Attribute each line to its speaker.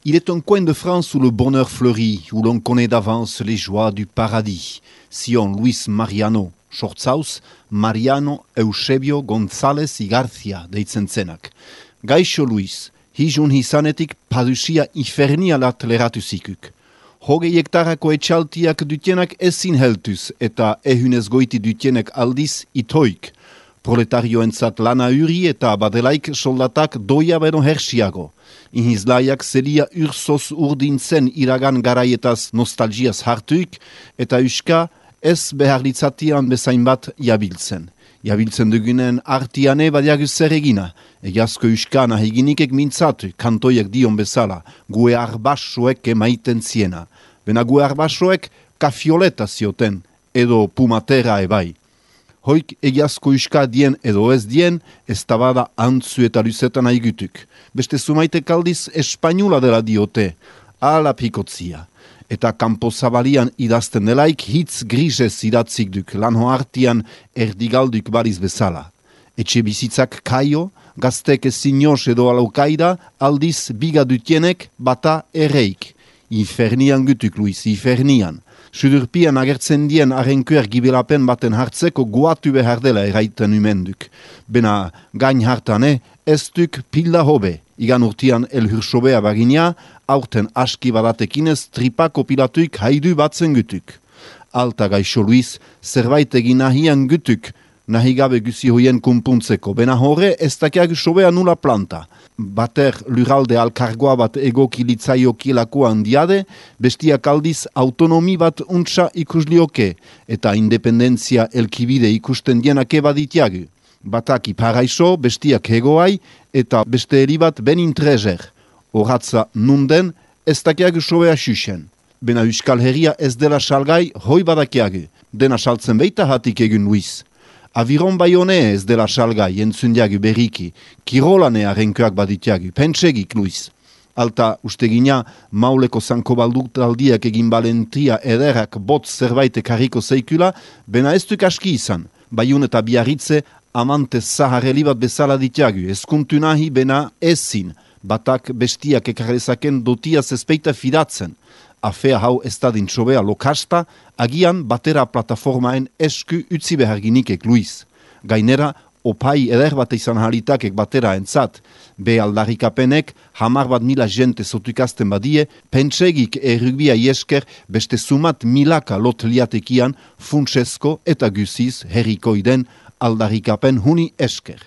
Speaker 1: Il est un coin de France où le bonheur fleurit, où l'on connaît d'avance les joies du paradis. Sion Luis Mariano, Sortzauz, Mariano Eusebio González García deitzen zenak. Gaixo Luis, hijun hizanetik padusia infernialat leratu zikuk. 20 hektarako etxaltiak dutenak ezin heltuz eta ehunez goiti dutenek aldiz itoik. Proletarioentzat lana uri eta badelaik soldatak doia beno hersiago. Inhizlaiak zelia ursoz urdintzen iragan garaietaz nostalgiaz hartuik eta uska ez beharlitzatian bezain bat jabiltzen. Jabiltzen dugunen artiane badiagu zer egina. Egiazko uska nahiginikek mintzatu, kantoiek dion bezala, gue arbasoek emaiten ziena. Bena gue arbasoek kafioleta zioten, edo pumatera ebai. Hoik egiazko uska dien edo ez dien, ez tabada antzu eta luzetan aigutuk. Beste zumaitek aldiz espainula dela diote, ala pikotzia. Eta kanpo zabalian idazten delaik hitz grisez idatzik duk, lanho artian erdigalduk bariz bezala. Etxe bizitzak kaio, gaztek ezinoz edo alaukaida, aldiz biga dutienek bata erreik. Infernian gutuk, Luis, infernian. Sudurpian agertzen dien arrenkuer gibelapen baten hartzeko guatu behar dela eraiten umenduk. Bena gain hartane, ez duk pilda hobe. Igan urtian elhursobea bagina, aurten aski badatekinez tripako pilatuik haidu batzen gutuk. Alta gaixo Luis, zerbait egin nahian gutuk, nahi gabe guzi hoien kumpuntzeko. Bena horre ez dakiak sobea nula planta. Bater lurralde alkargoa bat egokilitzaiokilako handiade, bestiak aldiz autonomi bat untsa ikuslioke, eta independentzia elkibide ikusten dienake baditiagu. Batak iparaiso, bestiak hegoai, eta beste eri bat benin trezer. Horatza nunden, ez dakiagu sobea xuxen. Bena Euskal Herria ez dela salgai, hoi badakiagu. Dena saltzen beita hatik egun Luis. Aviron baione ez dela salgai entzundiagu berriki, kirolane arrenkoak baditiagu, pentsegik Luis. Alta ustegina mauleko zanko baldurtaldiak egin balentria ederak botz zerbaitek harriko zeikula, bena ez duk aski izan. Baiun eta biarritze amante zaharreli bat bezala ditiagu, ezkuntu nahi bena ezin, batak bestiak ekarrezaken dotiaz ezpeita fidatzen. Afea hau ez da dintxobea lokasta, agian batera plataformaen esku utzi behar ginikek Luis. Gainera, opai eder bat izan halitakek batera entzat. Be aldarrikapenek 10.000 jente zotukazten badie, pentsegik errugbia iesker beste sumat milaka lot liatekian funtsesko eta guziz herrikoiden aldarrikapen huni esker.